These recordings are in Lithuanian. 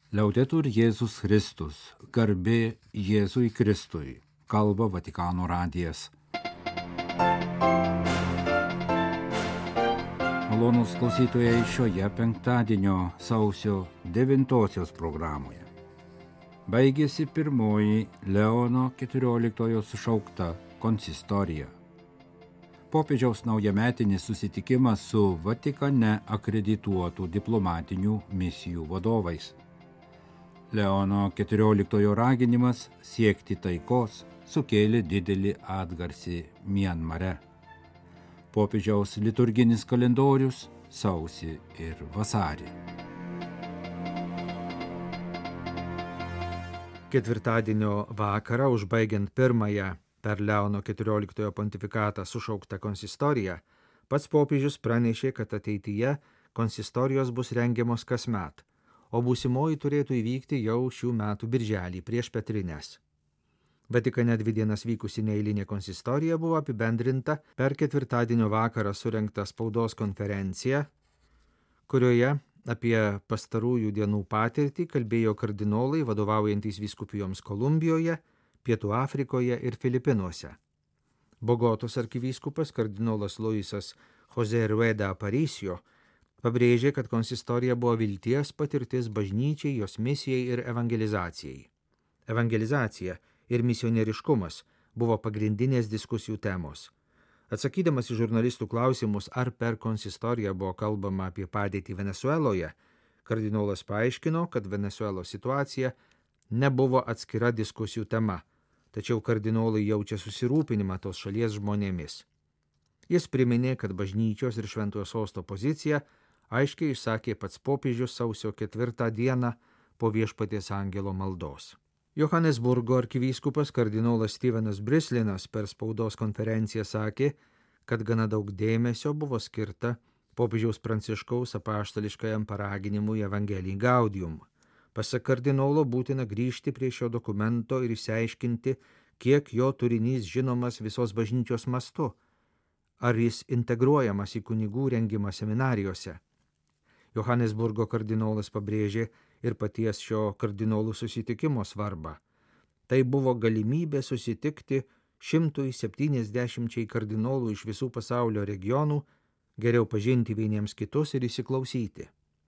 Liaudetur Jėzus Kristus, garbė Jėzui Kristui, kalba Vatikano radijas. Malonūs klausytojai šioje penktadienio sausio 9 programoje. Baigėsi pirmoji Leono XIV sušaukta konsistorija. Popiežiaus naujametinis susitikimas su Vatikane akredituotų diplomatinių misijų vadovais. Leono XIV raginimas siekti taikos sukėlė didelį atgarsį Mianmare. Popiežiaus liturginis kalendorius sausį ir vasarį. Ketvirtadienio vakarą, užbaigiant pirmąją per Leono XIV pontifikatą sušauktą konsistoriją, pats popiežius pranešė, kad ateityje konsistorijos bus rengiamos kasmet, o būsimoji turėtų įvykti jau šių metų birželį prieš Petrines. Vatikane 2 dienas vykusi neeilinė konsistorija buvo apibendrinta per ketvirtadienio vakarą surengtą spaudos konferenciją, kurioje apie pastarųjų dienų patirtį kalbėjo kardinolai vadovaujantys vyskupijoms Kolumbijoje, Pietų Afrikoje ir Filipinuose. Bogotos arkivyskupas kardinolas Luisas José Rueda Aparicio pabrėžė, kad konsistorija buvo vilties patirtis bažnyčiai, jos misijai ir evangelizacijai. Evangelizacija ir misionieriškumas buvo pagrindinės diskusijų temos. Atsakydamas į žurnalistų klausimus, ar per konsistoriją buvo kalbama apie padėtį Venesueloje, kardinolas paaiškino, kad Venesuelos situacija nebuvo atskira diskusijų tema, tačiau kardinolai jaučia susirūpinimą tos šalies žmonėmis. Jis priminė, kad bažnyčios ir Šventojo Sosto poziciją aiškiai išsakė pats popiežius sausio 4 dieną po Viešpaties angelo maldos. Johanesburgo arkivyskupas kardinolas Stevenas Brislinas per spaudos konferenciją sakė, kad gana daug dėmesio buvo skirta popiežiaus Pranciškaus apaštališkajam paraginimui Evangelii Gaudium. Pasak kardinolo būtina grįžti prie šio dokumento ir išsiaiškinti, kiek jo turinys žinomas visos bažnyčios mastu, ar jis integruojamas į kunigų rengimą seminarijose. Johanesburgo kardinolas pabrėžė ir paties šio kardinolų susitikimo svarbą. Tai buvo galimybė susitikti 170 kardinolų iš visų pasaulio regionų, geriau pažinti vieniems kitus ir įsiklausyti.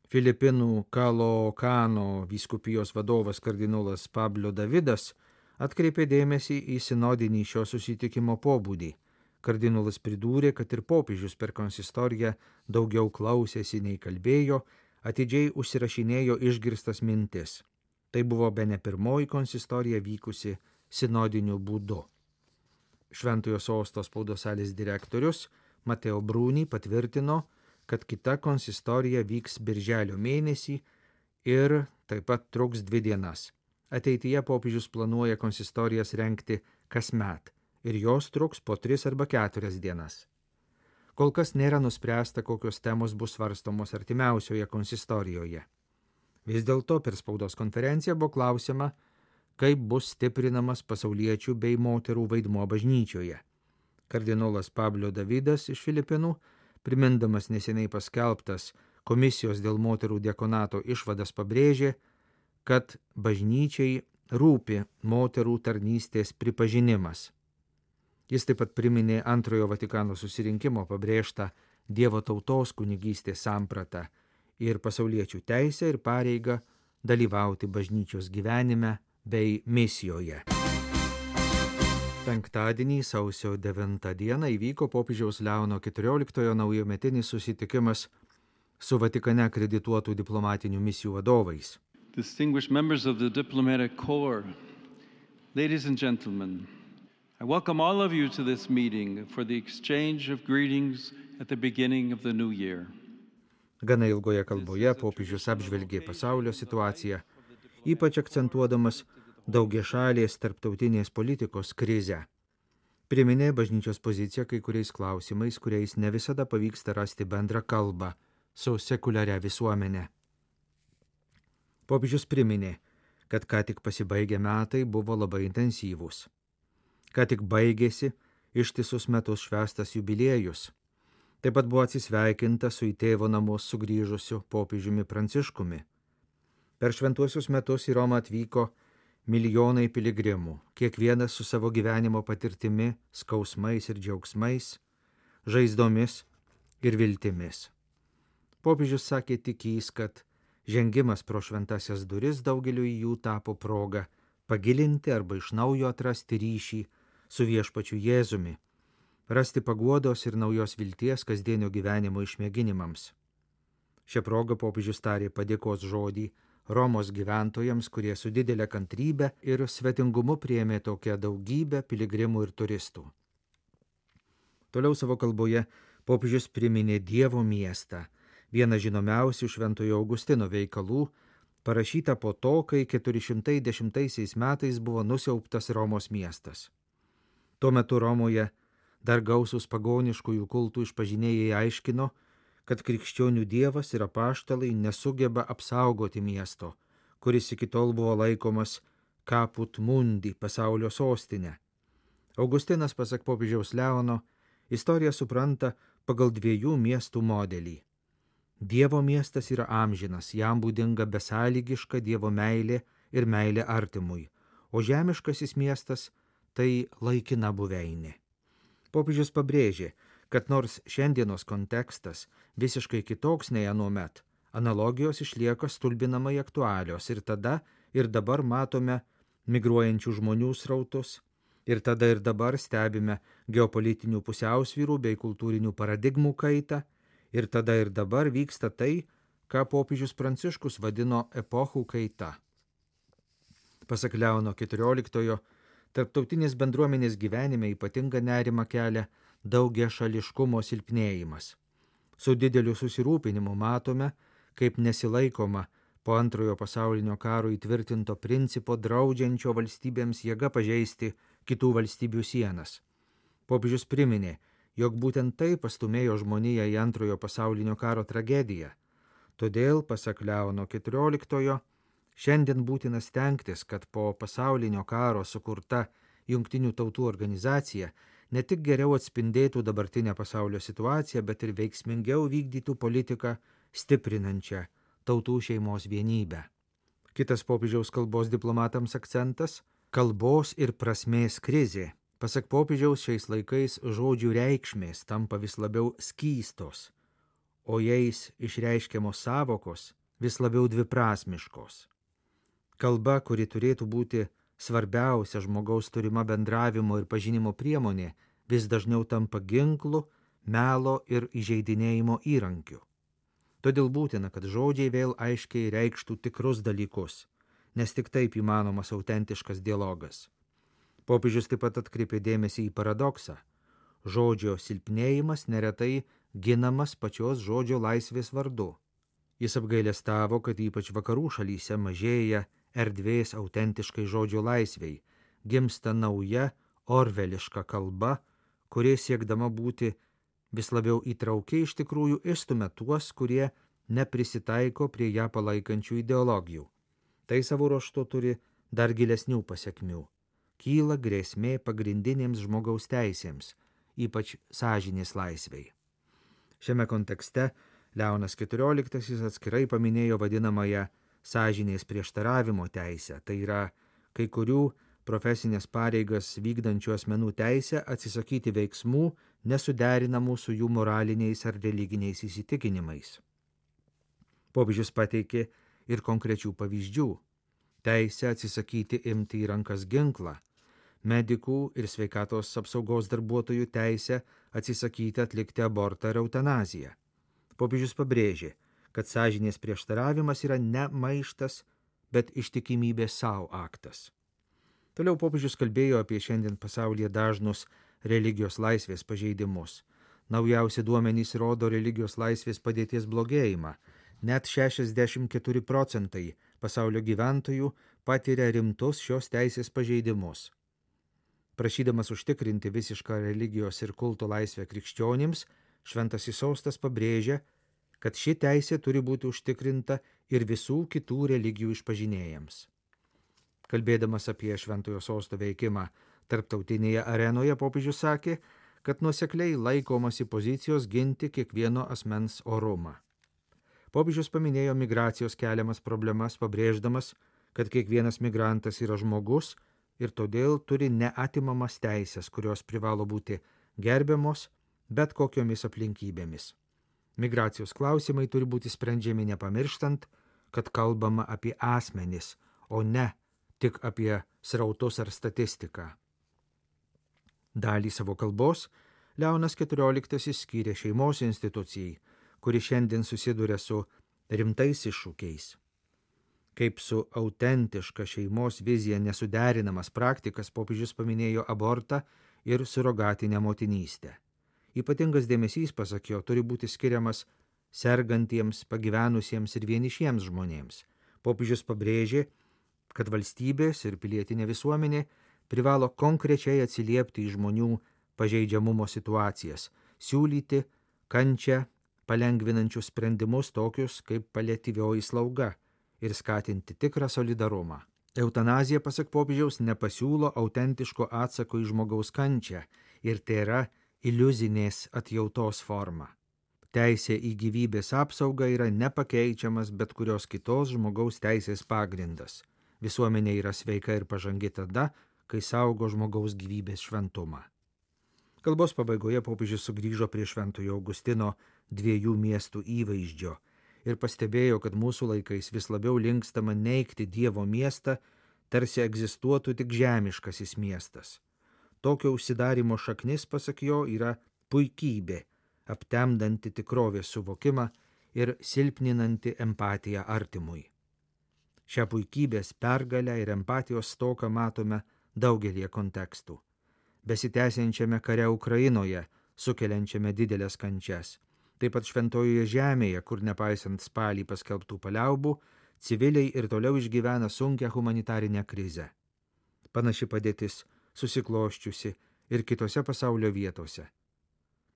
Filipinų Kalokano vyskupijos vadovas kardinolas Pablo Davidas atkreipė dėmesį į sinodinį šio susitikimo pobūdį. Kardinolas pridūrė, kad ir popiežius per konsistoriją daugiau klausėsi nei kalbėjo, atidžiai užsirašinėjo išgirstas mintis. Tai buvo bene pirmoji konsistorija vykusi sinodiniu būdu. Šventojo Sosto spaudos salės direktorius Mateo Bruni patvirtino, kad kita konsistorija vyks birželio mėnesį ir taip pat truks 2 dienas. Ateityje popiežius planuoja konsistorijas rengti kasmet ir jos truks po 3 arba 4 dienas. Kol kas nėra nuspręsta, kokios temos bus svarstomos artimiausioje konsistorijoje. Vis dėlto per spaudos konferenciją buvo klausima, kaip bus stiprinamas pasauliečių bei moterų vaidmuo bažnyčioje. Kardinolas Pablo Davidas iš Filipinų, primindamas neseniai paskelbtas komisijos dėl moterų diakonato išvadas, pabrėžė, kad bažnyčiai rūpi moterų tarnystės pripažinimas. Jis taip pat priminė Antrojo Vatikano susirinkimo pabrėžtą Dievo tautos kunigystės sampratą ir pasauliečių teisę ir pareigą dalyvauti bažnyčios gyvenime bei misijoje. Penktadienį sausio 9 dieną įvyko popiežiaus Leono XIV naujametinis susitikimas su Vatikane akredituotų diplomatinių misijų vadovais. Distinguished members of the diplomatic corps, ladies and gentlemen, I welcome all of you to this meeting for the exchange of greetings at the beginning of the new year. Gana ilgoje kalboje popiežius apžvelgė pasaulio situaciją, ypač akcentuodamas daugiašalės tarptautinės politikos krizę. Priminė bažnyčios poziciją kai kuriais klausimais, kuriais ne visada pavyksta rasti bendrą kalbą su sekuliaria visuomenė. Popiežius priminė, kad ką tik pasibaigę metai buvo labai intensyvūs. Ką tik baigėsi ištisus metus švęstas jubiliejus. Taip pat buvo atsisveikinta su į tėvo namus sugrįžusiu popiežiumi Pranciškumi. Per šventuosius metus į Romą atvyko milijonai piligrimų, kiekvienas su savo gyvenimo patirtimi, skausmais ir džiaugsmais, žaizdomis ir viltimis. Popiežius sakė tikįs, kad žengimas pro šventasias duris daugeliu jų tapo proga pagilinti arba iš naujo atrasti ryšį su viešpačiu Jėzumi, rasti paguodos ir naujos vilties kasdienio gyvenimo išmėginimams. Šią progą popiežius tarė padėkos žodį Romos gyventojams, kurie su didelė kantrybė ir svetingumu priėmė tokią daugybę piligrimų ir turistų. Toliau savo kalboje popiežius priminė Dievo miestą, vieną žinomiausių Šventojo Augustino veikalų, parašytą po to, kai 410 metais buvo nusiaubtas Romos miestas. Tuo metu Romoje dar gausūs pagoniškųjų kultų išpažinėjai aiškino, kad krikščionių dievas ir apaštalai nesugeba apsaugoti miesto, kuris iki tol buvo laikomas Caput Mundi, pasaulio sostinė. Augustinas, pasak popiežiaus Leono, istoriją supranta pagal dviejų miestų modelį. Dievo miestas yra amžinas, jam būdinga besąlygiška Dievo meilė ir meilė artimui, o žemiškasis miestas tai laikina buveinė. Popiežius pabrėžė, kad nors šiandienos kontekstas visiškai kitoks nei anuomet, analogijos išlieka stulbinamai aktualios ir tada ir dabar matome migruojančių žmonių srautus ir tada ir dabar stebime geopolitinių pusiausvyrų bei kultūrinių paradigmų kaitą ir tada ir dabar vyksta tai, ką popiežius Pranciškus vadino epochų kaita. Pasak Leono XIV, tarptautinės bendruomenės gyvenime ypatingą nerimą kelia daugiašališkumo silpnėjimas. Su dideliu susirūpinimu matome, kaip nesilaikoma po Antrojo pasaulinio karo įtvirtinto principo draudžiančio valstybėms jėga pažeisti kitų valstybių sienas. Popiežius priminė, jog būtent tai pastumėjo žmoniją į Antrojo pasaulinio karo tragediją. Todėl, pasak Leono XIV, šiandien būtina stengtis, kad po pasaulinio karo sukurta Jungtinių tautų organizacija ne tik geriau atspindėtų dabartinę pasaulio situaciją, bet ir veiksmingiau vykdytų politiką stiprinančią tautų šeimos vienybę. Kitas popiežiaus kalbos diplomatams akcentas – kalbos ir prasmės krizė. Pasak popiežiaus, šiais laikais žodžių reikšmės tampa vis labiau skystos, o jais išreiškiamos savokos vis labiau dviprasmiškos. Kalba, kuri turėtų būti svarbiausia žmogaus turima bendravimo ir pažinimo priemonė, vis dažniau tampa ginklu, melo ir įžeidinėjimo įrankiu. Todėl būtina, kad žodžiai vėl aiškiai reikštų tikrus dalykus, nes tik taip įmanomas autentiškas dialogas. Popiežius taip pat atkreipė dėmesį į paradoksą. Žodžio silpnėjimas neretai ginamas pačios žodžio laisvės vardu. Jis apgailestavo, kad ypač vakarų šalyse mažėja erdvės autentiškai žodžio laisvei, gimsta nauja orveliška kalba, kuri siekdama būti vis labiau įtraukiai iš tikrųjų išstumia tuos, kurie neprisitaiko prie ją palaikančių ideologijų. Tai savo ruožtu turi dar gilesnių pasekmių. Kyla grėsmė pagrindinėms žmogaus teisėms, ypač sąžinės laisvei. Šiame kontekste Leonas XIV atskirai paminėjo vadinamąją sąžinės prieštaravimo teisę, tai yra kai kurių profesinės pareigas vykdančių asmenų teisę atsisakyti veiksmų nesuderinamų su jų moraliniais ar religiniais įsitikinimais. Popiežius pateikė ir konkrečių pavyzdžių. Teisę atsisakyti imti į rankas ginklą, medikų ir sveikatos apsaugos darbuotojų teisę atsisakyti atlikti abortą ir eutanaziją. Popiežius pabrėžė, kad sąžinės prieštaravimas yra ne maištas, bet ištikimybės savo aktas. Toliau popiežius kalbėjo apie šiandien pasaulyje dažnus religijos laisvės pažeidimus. Naujausi duomenys rodo religijos laisvės padėties blogėjimą. Net 64% pasaulio gyventojų patiria rimtus šios teisės pažeidimus. Prašydamas užtikrinti visišką religijos ir kulto laisvę krikščionims, Šventasis sostas pabrėžia, kad ši teisė turi būti užtikrinta ir visų kitų religijų išpažinėjams. Kalbėdamas apie Šventojo sosto veikimą tarptautinėje arenoje, popiežius sakė, kad nuosekliai laikomasi pozicijos ginti kiekvieno asmens orumą. Popiežius paminėjo migracijos keliamas problemas, pabrėždamas, kad kiekvienas migrantas yra žmogus ir todėl turi neatimamas teisės, kurios privalo būti gerbiamos bet kokiomis aplinkybėmis. Migracijos klausimai turi būti sprendžiami nepamirštant, kad kalbama apie asmenis, o ne tik apie srautus ar statistiką. Dalį savo kalbos Leonas XIV skyrė šeimos institucijai, kuri šiandien susiduria su rimtais iššūkiais. Kaip su autentiška šeimos vizija nesuderinamas praktikas popiežius paminėjo abortą ir surogatinę motinystę. Ypatingas dėmesys, pasak jo, turi būti skiriamas sergantiems, pagyvenusiems ir vienišiems žmonėms. Popiežius pabrėžė, kad valstybės ir pilietinė visuomenė privalo konkrečiai atsiliepti į žmonių pažeidžiamumo situacijas, siūlyti kančią palengvinančius sprendimus tokius kaip paliatyvioji slauga ir skatinti tikrą solidarumą. Eutanazija, pasak popiežiaus, nepasiūlo autentiško atsako į žmogaus kančią ir tai yra iliuzinės atjautos forma. Teisė į gyvybės apsaugą yra nepakeičiamas bet kurios kitos žmogaus teisės pagrindas. Visuomenė yra sveika ir pažangi tada, kai saugo žmogaus gyvybės šventumą. Kalbos pabaigoje popiežius sugrįžo prie Šventojo Augustino 2 miestų įvaizdžio ir pastebėjo, kad mūsų laikais vis labiau linkstama neigti Dievo miestą, tarsi egzistuotų tik žemiškasis miestas. Tokio užsidarimo šaknis, pasak jo, yra puikybė, aptemdanti tikrovės suvokimą ir silpninanti empatiją artimui. Šią puikybės pergalę ir empatijos stoką matome daugelį kontekstų. Besitęsiančiame kare Ukrainoje, sukeliančiame didelės kančias. Taip pat Šventojoje žemėje, kur nepaisant spalį paskelbtų paliaubų, civiliai ir toliau išgyvena sunkią humanitarinę krizę. Panaši padėtis susikloščiusi ir kitose pasaulio vietose.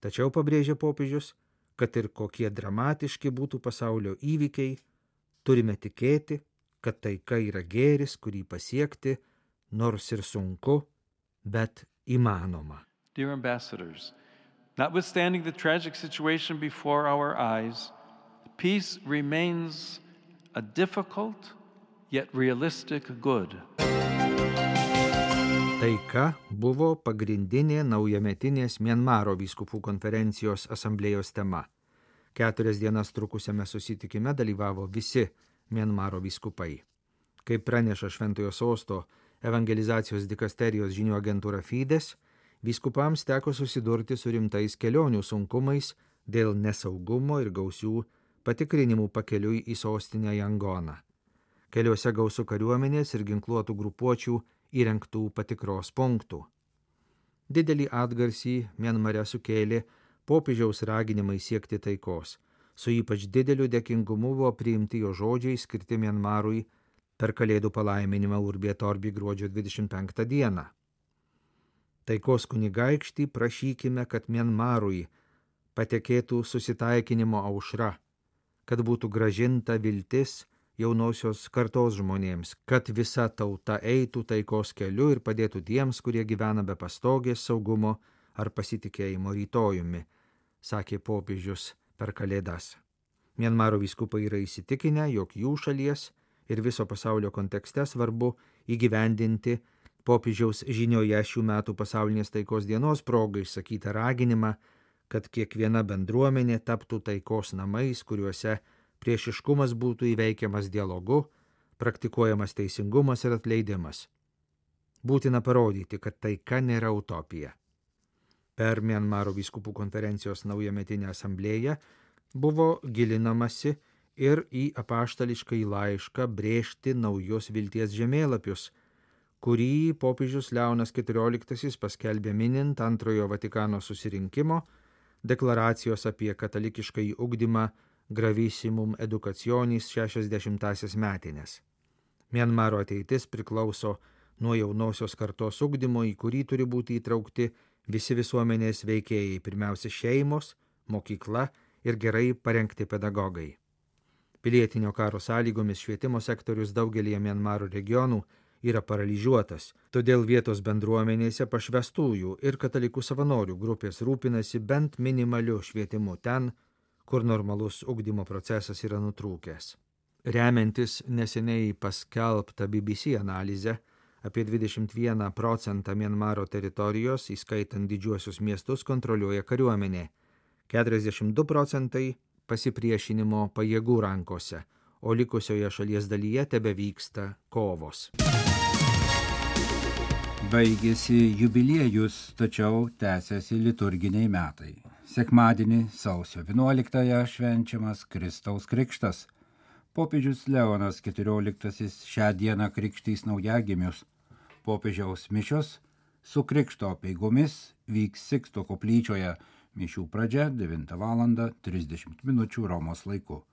Tačiau pabrėžė popiežius, kad ir kokie dramatiški būtų pasaulio įvykiai, turime tikėti, kad taika yra gėris, kurį pasiekti, nors ir sunku, bet įmanoma. Dear ambassadors, notwithstanding the tragic situation before our eyes, peace remains a difficult yet realistic good. Taika buvo pagrindinė naujametinės Mianmaro vyskupų konferencijos asamblėjos tema. 4 dienas trukusiame susitikime dalyvavo visi Mianmaro vyskupai. Kaip praneša Šventojo Sosto evangelizacijos dikasterijos žinių agentūra Fides, vyskupams teko susidurti su rimtais kelionių sunkumais dėl nesaugumo ir gausių patikrinimų pakeliui į sostinę Yangoną. Keliuose gausų kariuomenės ir ginkluotų grupuočių įrengtų patikros punktų. Didelį atgarsį Mianmare sukėlė popiežiaus raginimai siekti taikos. Su ypač dideliu dėkingumu buvo priimti jo žodžiai skirti Mianmarui per Kalėdų palaiminimą Urbi et Orbi gruodžio 25 dieną. Taikos kunigaikštį prašykime, kad Mianmarui patekėtų susitaikinimo aušra, kad būtų grąžinta viltis jaunosios kartos žmonėms, kad visa tauta eitų taikos keliu ir padėtų tiems, kurie gyvena be pastogės, saugumo ar pasitikėjimo rytojumi, sakė popiežius per Kalėdas. Mianmaro vyskupai yra įsitikinę, jog jų šalies ir viso pasaulio kontekste svarbu įgyvendinti popiežiaus žinioje šių metų pasaulinės taikos dienos progai išsakytą raginimą, kad kiekviena bendruomenė taptų taikos namais, kuriuose priešiškumas būtų įveikiamas dialogu, praktikuojamas teisingumas ir atleidimas. Būtina parodyti, kad taika nėra utopija. Per Mianmaro vyskupų konferencijos naujametinę asamblėją buvo gilinamasi ir į apaštališkąjį laišką brėžti naujos vilties žemėlapius, kurį popiežius Leonas XIV paskelbė minint Antrojo Vatikano susirinkimo deklaracijos apie katalikiškąjį ugdymą Gravissimum Educationis 60-asias metinės. Mianmaro ateitis priklauso nuo jaunosios kartos ugdymo, į kurį turi būti įtraukti visi visuomenės veikėjai, pirmiausia šeimos, mokykla ir gerai parengti pedagogai. Pilietinio karo sąlygomis švietimo sektorius daugelį Mianmaro regionų yra paralyžiuotas, todėl vietos bendruomenėse pašvestųjų ir katalikų savanorių grupės rūpinasi bent minimaliu švietimu ten, kur normalus ugdymo procesas yra nutrūkęs. Remiantis neseniai paskelbtą BBC analizę, apie 21% Mianmaro teritorijos, įskaitant didžiuosius miestus, kontroliuoja kariuomenė, 42% pasipriešinimo pajėgų rankose, o likusioje šalies dalyje tebevyksta kovos. Baigėsi jubiliejus, tačiau tęsiasi liturginiai metai. Sekmadienį sausio 11-ąją švenčiamas Kristaus krikštas. Popiežius Leonas XIV šią dieną krikštys naujagimius. Popiežiaus mišios su krikšto apeigomis vyks Siksto koplyčioje, mišių pradžia 9:30 Romos laiku.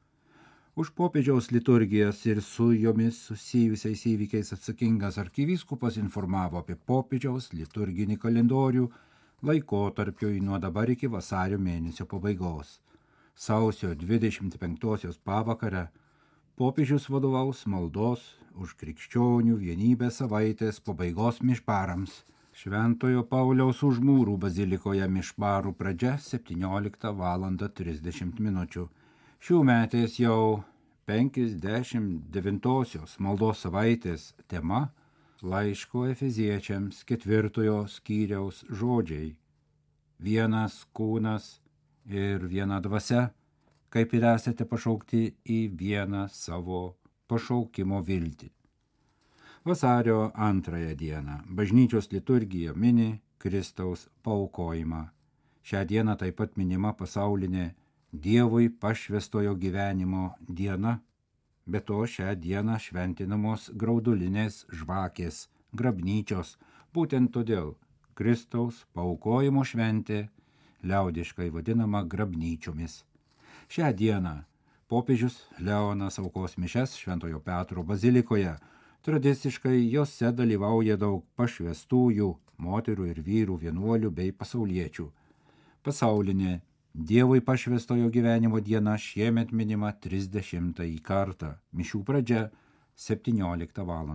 Už popiežiaus liturgijas ir su jomis susijusiais įvykiais atsakingas arkivyskupas informavo apie popiežiaus liturginį kalendorių laikotarpiui nuo dabar iki vasario mėnesio pabaigos. Sausio 25-osios pavakarę popiežius vadovaus maldos už krikščionių vienybę savaitės pabaigos mišparams. Šventojo Pauliaus Užmūrų bazilikoje mišparų pradžia 17:30. Šių metės jau 59-osios maldos savaitės tema laiško Efeziečiams 4 skyriaus žodžiai: vienas kūnas ir viena dvasia, kaip ir esate pašaukti į vieną savo pašaukimo viltį. Vasario 2 dieną bažnyčios liturgija mini Kristaus paaukojimą. Šią dieną taip pat minima pasaulinė Dievui pašvęstojo gyvenimo diena, be to šią dieną šventinamos graudulinės žvakės, grabnyčios. Būtent todėl Kristaus paaukojimo šventė liaudiškai vadinama grabnyčiomis. Šią dieną popiežius Leonas aukos mišias Šventojo Petro bazilikoje. Tradiciškai jose dalyvauja daug pašvęstųjų, moterų ir vyrų, vienuolių bei pasauliečių. Pasaulinė Dievui pašvęstojo gyvenimo diena šiemet minima 30 kartą, mišių pradžia 17 val.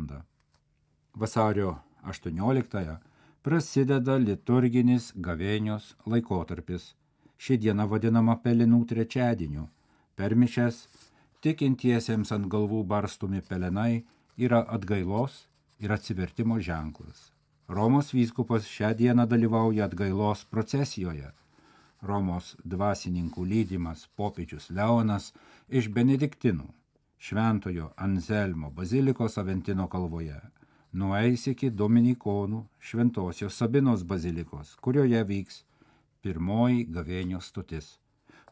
Vasario 18 prasideda liturginis gavėnios laikotarpis. Ši diena vadinama Pelenų trečiadieniu. Per mišias tikintiesiems ant galvų barstomi pelenai yra atgailos ir atsivertimo ženklas. Romos vyskupas šią dieną dalyvauja atgailos procesijoje. Romos dvasininkų lydimas popiežius Leonas iš Benediktinų, Šventojo Anzelmo bazilikos Aventino kalvoje, nueis iki Dominikonų Šventosios Sabinos bazilikos, kurioje vyks pirmoji gavėnios stotis.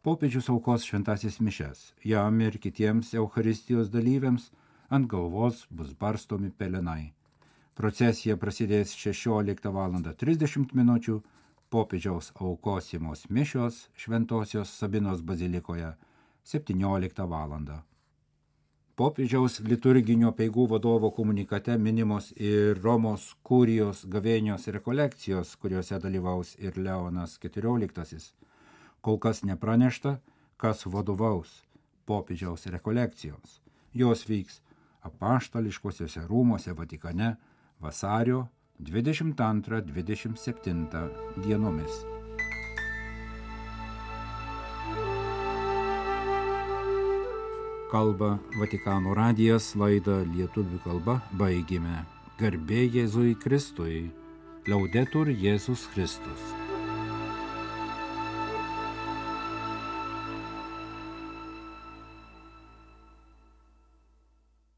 Popiežius aukos šventasis mišias, jam ir kitiems Eucharistijos dalyviams ant galvos bus barstomi pelenai. Procesija prasidės 16:30, popiežiaus aukosimos mišios Šventosios Sabinos bazilikoje 17 val. Popiežiaus liturginio apeigų vadovo komunikate minimos ir Romos kurijos gavėnios rekolekcijos, kuriuose dalyvaus ir Leonas XIV. Kol kas nepranešta, kas vadovaus popiežiaus rekolekcijoms. Jos vyks Apaštališkosiuose rūmuose Vatikane vasario 22-27 dienomis. Kalba Vatikano radijas, laidą lietuvių kalba baigėme. Garbė Jėzui Kristui. Laudetur Jėzus Kristus.